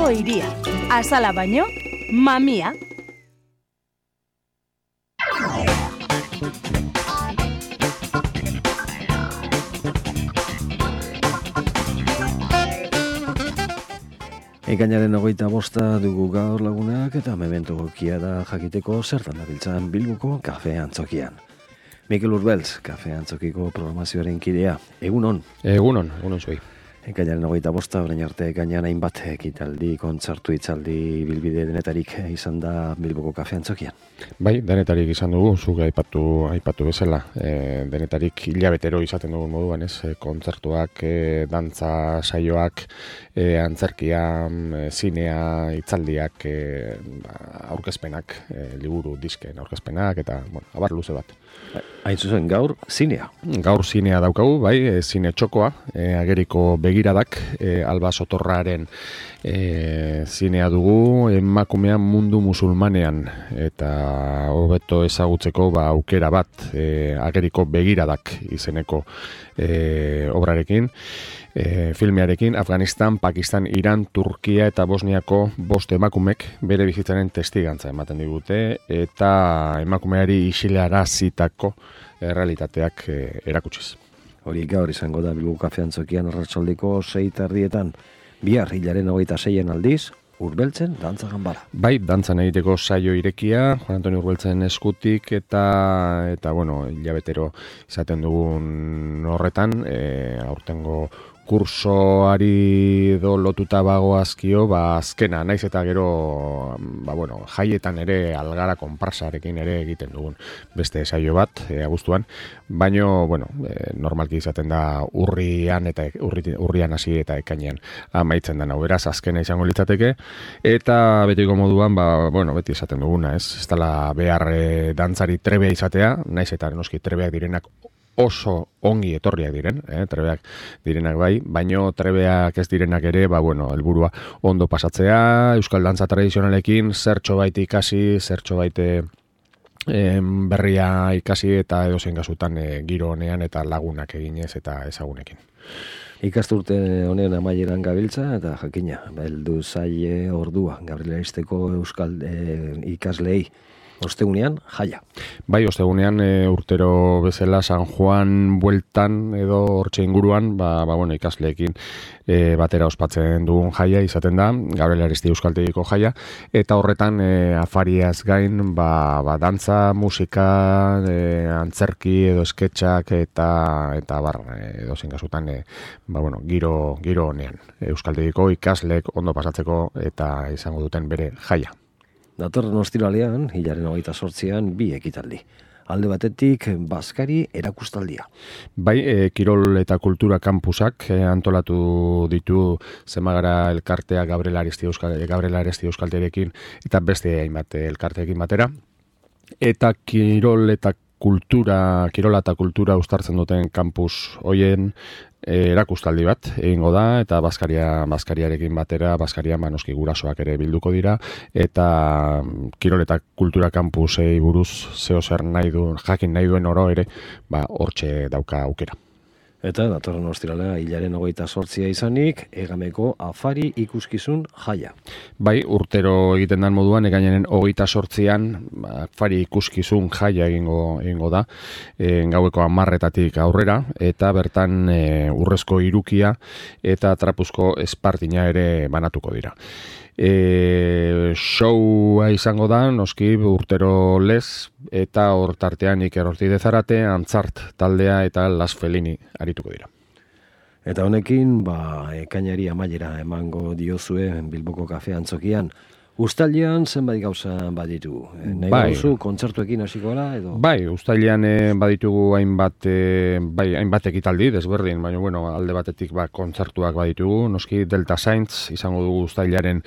Bilboko hiria. Azala baino, mamia. Ekainaren 25 dugu gaur lagunak eta memento gokia da jakiteko zertan dabiltzan Bilboko kafe antzokian. Mikel Urbeltz, kafe antzokiko programazioaren kidea. Egunon. Egunon zuei. Ekainaren 25, orain arte ekainan hainbat ekitaldi, kontzertu, hitzaldi, bilbide denetarik izan da Bilboko kafe antzokian. Bai, denetarik izan dugu, zuk aipatu bezala. Denetarik hilabetero izaten dugun moduan, ez? Kontzertuak, dantza saioak, antzerkia, zinea, hitzaldiak, aurkezpenak, liburu, disken aurkezpenak, eta, abar luze bat. Hain zuzen, gaur zinea. Gaur zinea daukagu, bai, zine txokoa, ageriko begiradak, Alba Sotorraren zinea dugu, emakumean mundu musulmanean, eta hobeto ezagutzeko aukera bat, ageriko begiradak izeneko obrarekin, filmearekin, Afganistan, Pakistan, Iran, Turkia eta Bosniako 5 emakumek bere bizitzaren testigantza ematen digute, eta emakumeari isilarazitako realitateak erakutsiz. Hori gaur izango da Bilboko kafe antzokian arratsaldeko 6:30, bihar hilaren 26 aldiz, Urbeltzen dantza ganbara. Bai, dantzan egiteko saio irekia, Juan Antonio Urbeltzen eskutik, eta hilabetero izaten dugun horretan, aurtengo kursoari lotuta bagoazkio, azkena, naiz eta gero, jaietan ere algara konparsarekin ere egiten dugun beste saio bat, abuztuan, baino, normalki izaten da urrian hasi eta ekainean amaitzen da, beraz, azkena izango litzateke, eta betiko moduan, beti izaten duguna, ez dela behar dantzari trebea izatea, naiz eta noski trebeak direnak oso ongi etorriak diren, trebeak direnak bai, baino trebeak ez direnak ere, helburua ondo pasatzea, euskal dantza tradizionalekin, zertxo baite ikasi, zertxo baite berria ikasi, eta edozein kasutan giro honean eta lagunak eginez eta ezagunekin. Ikasturte honen amaieran gabiltza, eta jakina, heldu zaie ordua, Gabriel Aristeko euskal ikaslei. Ostegunean, jaia. Bai, ostegunean urtero bezala San Juan bueltan edo hortxe inguruan, ikasleekin batera ospatzen dugun jaia izaten da, Gabriel Aristi euskaltegiko jaia, eta horretan afariaz gain, dantza, musika, antzerki edo sketxak eta edo zein kasutan, giro honean. Euskaltegiko ikasleek ondo pasatzeko eta izango duten bere jaia. Datorren ostiralean, hilaren 28an, 2 ekitaldi. Alde batetik, Baskari erakustaldia. Bai, Kirol eta Kultura Kampusak antolatu ditu Zemagara elkartea Gabriel Aristi euskalterekin eta beste hainbat elkarteekin batera. Eta Kirola eta kultura uztartzen duten kampus hoien erakustaldi bat egingo da, eta Baskariarekin batera, Baskaria noski gurasoak ere bilduko dira, eta Kirol eta Kultura Kampusei buruz zer jakin nahi duen oro ere, hortxe dauka aukera. Eta datorren ostiralea hilaren 28a izanik, Egameko afari ikuskizun jaia. Bai, urtero egiten den moduan, ekainaren 28an afari ikuskizun jaia egingo da, gaueko 10:00 aurrera, eta bertan urrezko hirukia eta trapuzko espartina ere banatuko dira. Showa izango da, noski urtero lez, eta hor tartean Iker Ortiz Zarate, Antzart taldea eta Las Felini arituko dira. Eta honekin, ekainari amaiera emango diozue Bilboko kafe antzokian. Uztailean zenbait gauza baditu. Nahi duzu kontzertuekin hasiko gara edo? Bai, uztailean baditugu hainbat ekitaldi desberdin, baina alde batetik kontzertuak baditugu. Noski Delta Saints izango dugu uztailaren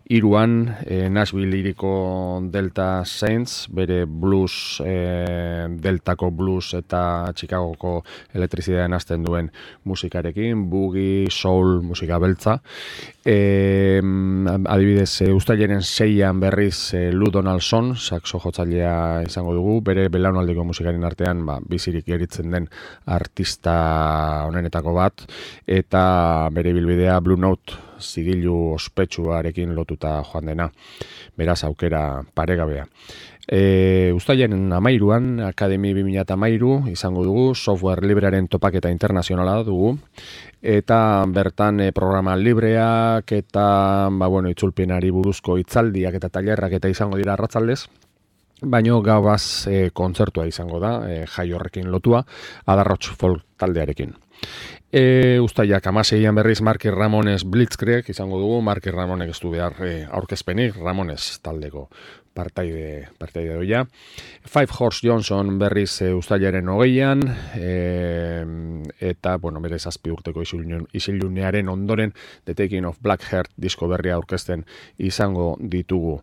3an, Nashville iriko Delta Saints, bere blues, Deltako blues eta Chicagoko elektrizitatean hasten duen musikarekin, boogie, soul, musika beltza. Adibidez, uztailaren 6an berriz Lou Donaldson, saxo jotzailea izango dugu, bere belaunaldiko musikaren artean bizirik geritzen den artista honenetako bat, eta bere bilbidea Blue Note zigilu ospetsuarekin lotuta joan dena, beraz aukera paregabea. Uztailaren 13an, Akademi 2013 izango dugu, software librearen topaketa internazionala dugu, eta bertan programa libreak eta itzulpenari buruzko hitzaldiak eta tailerrak eta izango dira arratsaldez. Baino gauaz kontzertua izango da, jai horrekin lotua, Adarrots folk taldearekin. Uztailak 16an berriz Marky Ramones Blitzkrieg izango dugu, Marky Ramonek ez du behar aurkezpenik, Ramones taldeko partaide doia. Five Horse Johnson berriz uztailaren 20an, eta, bere 7 urteko isilunearen ondoren The Taking of Black Heart disko berria aurkezten izango ditugu.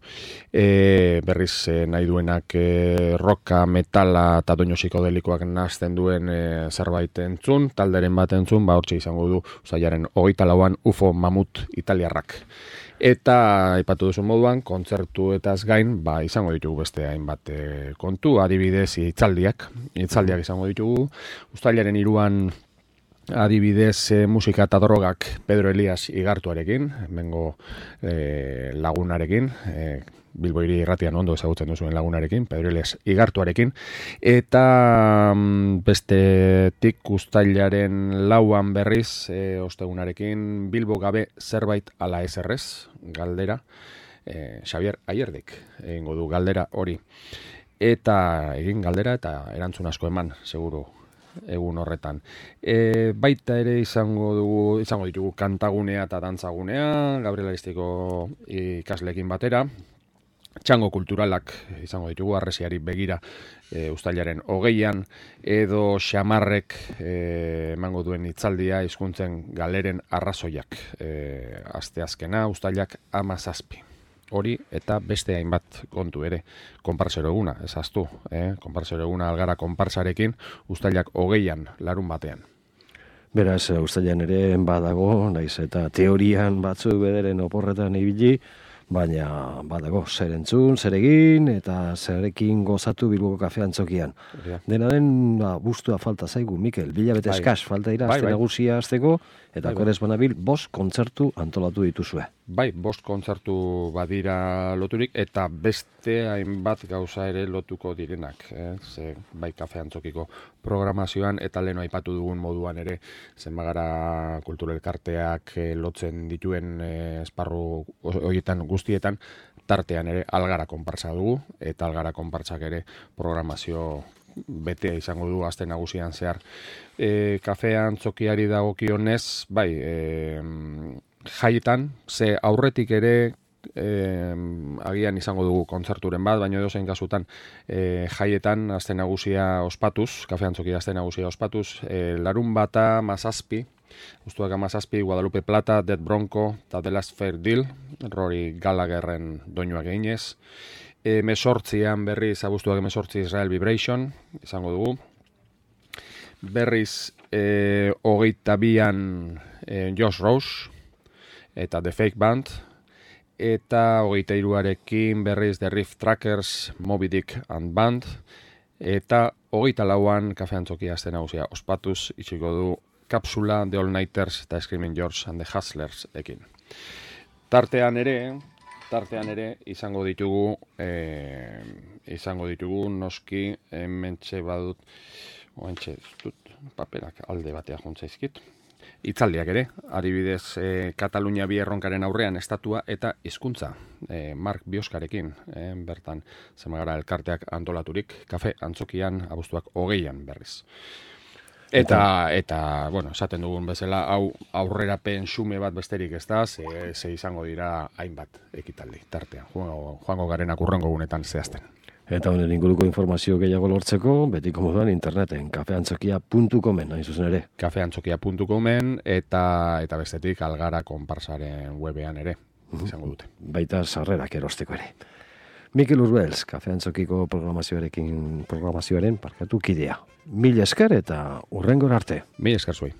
Berriz nahi duenak rocka, metala eta doinu psikodelikoak nahazten duen zerbait entzun, talderen bat entzun, hortxe izango du uztailaren 24an UFO Mamut italiarrak. Eta aipatu duzu moduan, kontzertu etaz gain, izango ditugu beste hainbat kontu, adibidez hitzaldiak izango ditugu. Uztailaren 3an adibidez musika eta drogak Pedro Elias Igartuarekin, hemengo lagunarekin, Bilbo Hiri Irratian ondo ezagutzen duzuen lagunarekin, Pedro Elias Igartuarekin, eta bestetik uztailaren 4an berriz, ostegunarekin Bilbo gabe zerbait ala eserrez, galdera, Xavier Ayerdik egingo du galdera hori. Eta egin galdera eta erantzun asko eman, seguru, egun horretan. Baita ere izango ditugu kantagunea eta dantzagunea, Gabriel Aristiko ikasleekin batera, txango kulturalak izango ditugu, Harresiari begira uztailaren 20an, edo Xamarrek emango duen hitzaldia hizkuntzen galeren arrazoiak, asteazkena uztailak 17. Hori eta beste hainbat kontu ere, konparsero eguna, ezaztu, konparsero eguna Algara konparsarekin uztailak 20an, larun batean. Beraz, uztailan ere badago, naiz eta teorian batzuk bederen oporretan ibili, baina badago, zer entzun, zer egin, eta zerekin gozatu Bilboko Kafe Antzokian. Dena den, bustua falta zaigu, Mikel, bilabete eskas falta dira, azte nagusia azteko, eta korez banabil, 5 kontzertu antolatu dituzue. 5 kontzertu badira loturik, eta beste hainbat gauza ere lotuko direnak. Ze, Kafe Antzokiko programazioan, eta lehen aipatu dugun moduan ere, zenbagara kulturelkarteak lotzen dituen esparru horietan guztietan, tartean ere Algara konpartsa dugu, eta Algara konpartsak ere programazio betea izango du aste nagusian zehar. Kafe Antzokiari dagokionez, jaietan, ze aurretik ere agian izango dugu kontzerturen bat, baina edozein kasutan jaietan aste nagusia ospatuz, Kafe Antzokia aste nagusia ospatuz, larun bata 17, Ustuak 17, Guadalupe Plata, Dead Bronco, eta The Last Fair Deal, Rory Gallagherren doinuak eginez. 18an berriz, abuztuak 18 Israel Vibration, izango dugu. Berriz, 22an Josh Rose, eta The Fake Band, eta 23arekin berriz The Riff Trackers, Moby Dick and Band, eta 24an Kafe Antzokia aste nagusia ospatuz, itxiko du Kapsula, The All Nighters eta Screaming George and the Hustlers ekin. Tartean ere izango ditugu noski hementxe badut paperak alde batea juntzaizkit. Hitzaldiak ere, adibidez Katalunia bi erronkaren aurrean estatua eta hizkuntza, Mark Bioskarekin, bertan zenbagara elkarteak antolaturik, Kafe Antzokian abuztuak 20an berriz. Eta esaten dugun bezala, hau aurrerapen xume bat besterik ez da, ze izango dira hainbat ekitaldi, tartean, joango garenak urrengo gunetan zehazten. Eta honen inguruko informazio gehiago lortzeko, betiko moduan interneten, kafeantzokia.comen, hain zuzen ere. Kafeantzokia.comen eta bestetik Algara konparsaren webean ere, izango dute. Baita sarrerak erosteko ere. Mikel Urbels, Kafe Antzokiko programazioaren kidea. Mil esker eta urrengor arte. Mil esker zuei.